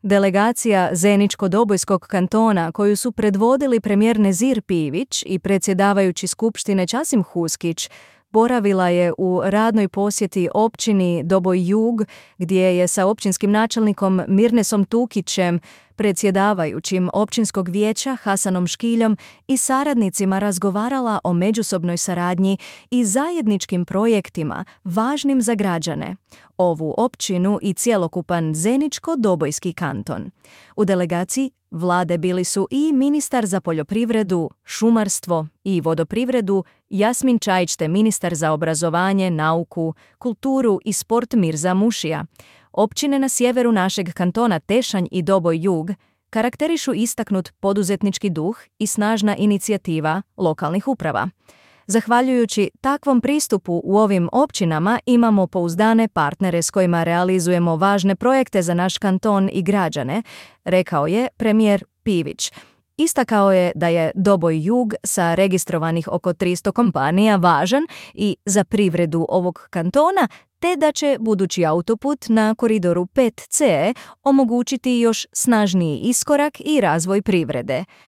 Delegacija Zeničko-Dobojskog kantona, koju su predvodili premijer Nezir Pivić i predsjedavajući skupštine Časim Huskić, boravila je u radnoj posjeti općini Doboj Jug, gdje je sa općinskim načelnikom Mirnesom Tukićem, predsjedavajućim općinskog vijeća Hasanom Škiljom i saradnicima razgovarala o međusobnoj saradnji i zajedničkim projektima važnim za građane, ovu općinu i cjelokupan Zeničko-Dobojski kanton. U delegaciji vlade bili su i ministar za poljoprivredu, šumarstvo i vodoprivredu Jasmin Čajić te ministar za obrazovanje, nauku, kulturu i sport Mirza Mušija. Općine na sjeveru našeg kantona Tešanj i Doboj Jug karakterišu istaknut poduzetnički duh i snažna inicijativa lokalnih uprava. Zahvaljujući takvom pristupu u ovim općinama imamo pouzdane partnere s kojima realizujemo važne projekte za naš kanton i građane, rekao je premijer Pivić. Istakao je da je Doboj Jug sa registrovanih oko 300 kompanija važan i za privredu ovog kantona, te da će budući autoput na koridoru 5C omogućiti još snažniji iskorak i razvoj privrede.